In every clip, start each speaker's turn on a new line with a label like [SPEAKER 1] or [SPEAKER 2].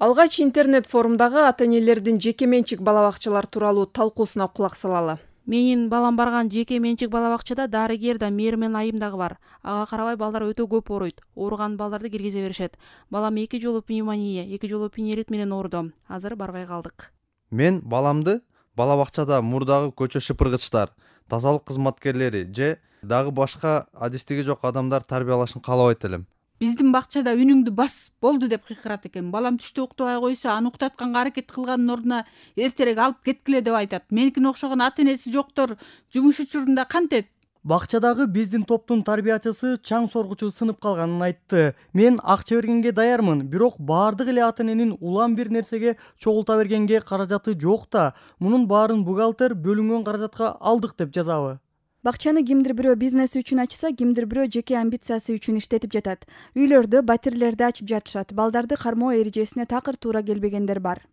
[SPEAKER 1] Алгач интернет форумдагы ата-энелердин жеке менчик бала бакчалар тууралуу талкуусуна кулак салалы.
[SPEAKER 2] Менин балам барган жеке менчик бала бакчада дарыгер да, мээр менен айым дагы бар. Ага карабай балдар өтө көп ооруйт. Ооруган балдарды киргизе беришет. Балам 2 жолу пневмония, 2 жолу пневмит менен ооруду. Азыр барбай калдык.
[SPEAKER 3] Мен баламды бала бакчада мурдагы көчө шыпыргычтар, тазалык кызматкерлери же дагы башка адистиги жок адамдар тарбиялашын каалабайт элем.
[SPEAKER 4] Биздин бакчада үнүңдү бас болду деп кыйкырат экен. Балам түштө уктабай койсо, аны уктатканга аракет кылганын ордуна эртерээк алып кеткиле деп айтат. Меникине окшогон ата-энеси жоктор жумуш учурунда кантет?
[SPEAKER 5] Бакчадагы биздин топтун тарбиячысы чаң соргучу сынып калганын айтты. Мен акча бергенге даярмын, бирок баардык эле ата-эненин улам бир нерсеге чогулта бергенге каражаты жок да. Мунун баарын бухгалтер бөлүнгөн каражатка алдык деп жазабы.
[SPEAKER 6] Бакчаны кимдир бирөө бизнеси үчүн ачса, кимдир бирөө жеке амбициясы үчүн иштетип жатат. Үйлөрдө батирлерди ачып жатышат. Балдарды кармоо эрежесине такыр туура келбегендер бар.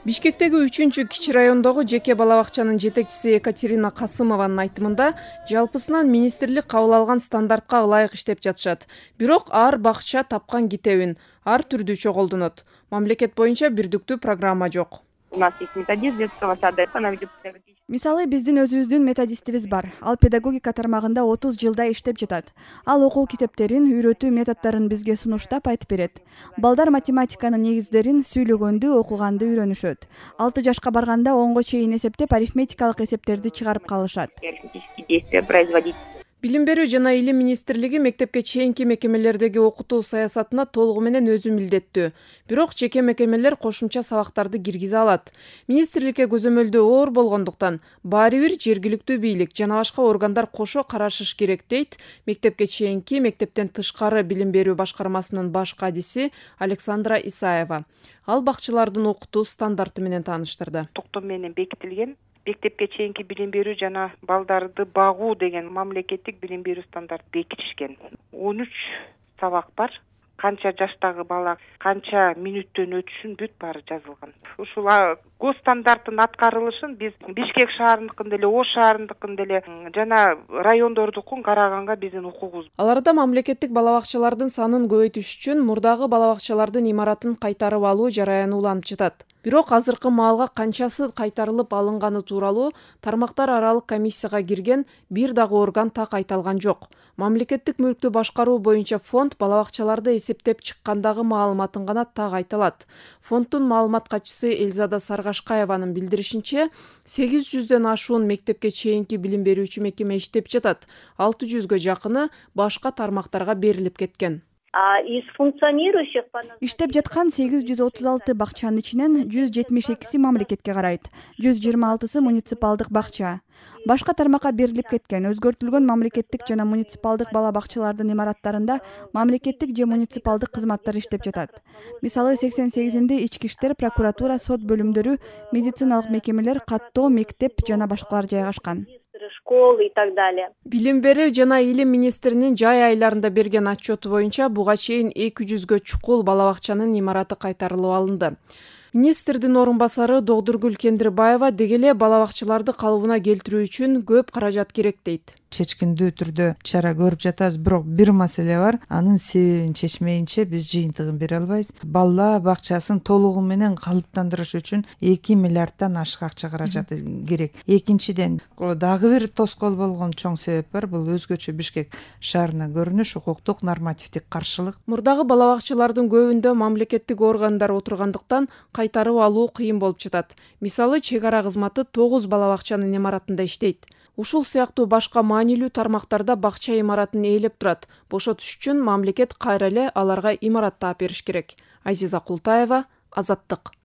[SPEAKER 1] Бишкектеги 3-чү кичи райондогу жеке бала бакчанын жетекчиси Екатерина Касымованын айтымында, жалпысынан министрлик кабыл алган стандартка ылайык иштеп жатышат. Бирок ар бакча тапкан китебин ар түрдүү колдонот. Мамлекет боюнча бирдиктүү программа жок.
[SPEAKER 7] У нас есть методист детского сада.
[SPEAKER 6] Мисалы, биздин өзүбүздүн методистибиз бар. Ал педагогика тармагында 30 жылда иштеп жатат. Ал окуу китептерин, үйрөтүү методдорун бизге сунуштап айтып берет. Балдар математиканын негиздерин сүйлөгөндү, окуганды үйрөнүшөт. 6 жашка барганда 10го чейин эсептеп, арифметикалык эсептерди чыгарып калышат.
[SPEAKER 1] Билим берүү жана илим министрлиги мектепке чейинки мекемелердеги окутуу саясатына толугу менен өзү милдеттүү. Бирок жеке мекемелер кошумча сабактарды киргизе алат. Министрликке көзөмөлдөө оор болгондуктан баары бир жергиликтүү бийлик жана башка органдар кошо карашыш керек дейт мектепке чейинки, мектептен тышкары билим берүү башкармасынын баш кадиси Александра Исаева. Ал бакчалардын окутуу стандарты менен тааныштырды.
[SPEAKER 7] Токтом менен бекитилген мектепке чейинки билим берүү жана балдарды багуу деген мамлекеттик билим берүү стандарт бекитишкен. 13 сабак бар. Канча жаштагы бала канча мүнөттөн өтүшүн бүт баары жазылган. Ушул гос стандарттын аткарылышын биз Бишкек шаарындыкын деле, Ош шаарындыкын деле жана райондордукун караганга биздин укугубуз.
[SPEAKER 1] Аларда мамлекеттик бала бакчалардын санын көбөйтүш үчүн мурдагы бала бакчалардын имаратын кайтарып алуу жараяны уланып жатат. Бирок азыркы маалга канчасы кайтарылып алынганы тууралуу тармактар аралык комиссияга кирген бир дагы орган так айта алган жок. Мамлекеттик мүлктү башкаруу боюнча фонд бала бакчаларды эсептеп чыккандагы маалыматын гана так айта алат. Фонддун маалымат катчысы Элзада Саргашкаеванын билдиришинче, 800дөн ашуун мектепке чейинки билим берүүчү мекеме иштеп жатат. 600гө жакыны башка тармактарга берилип кеткен.
[SPEAKER 6] Иштеп жаткан 836 бакчанын ичинен 172си мамлекетке карайт, 126сы муниципалдык бакча. Башка тармакка берилип кеткен. Өзгөртүлгөн мамлекеттик жана муниципалдык бала бакчалардын имараттарында мамлекеттик же муниципалдык кызматтар иштеп жатат. Мисалы 88-inde ички иштер, прокуратура, сот бөлүмдөрү, медициналык мекемелер, каттоо, мектеп жана башкалар жайгашкан.
[SPEAKER 7] Школы и так далее.
[SPEAKER 1] Билим берүү жана илим министринин жай айларында берген отчету боюнча буга чейин 200гө чукул бала бакчанын имараты кайтарылып алынды. Министрдин орун басары Догдургүл Кендирбаева деги эле бала бакчаларды калыбына келтирүү үчүн көп каражат керек дейт.
[SPEAKER 8] Чечкиндүү түрдө чара көрүп жатабыз, бирок бир маселе бар. Анын себебин чечмейинче биз жыйынтыгын бере албайбыз. Бала бакчасын толугу менен калыптандырыш үчүн 2 миллиарддан ашык акча каражаты керек. Экинчиден, дагы бир тоскоол болгон чоң себеп бар. Бул өзгөчө Бишкек шаарына көрүнүш, укуктук нормативдик каршылык.
[SPEAKER 1] Мурдагы бала бакчалардын көбүндө мамлекеттик органдар отургандыктан кайтарып алуу кыйын болуп жатат. Мисалы, чек ара кызматы 9 бала бакчанын имаратында иштейт. Ушул сыяктуу башка маанилүү тармактарда бакча имаратын ээлеп турат. Бошотуш үчүн мамлекет кайра эле аларга имарат таап бериш керек. Азиза Култаева, Азаттык.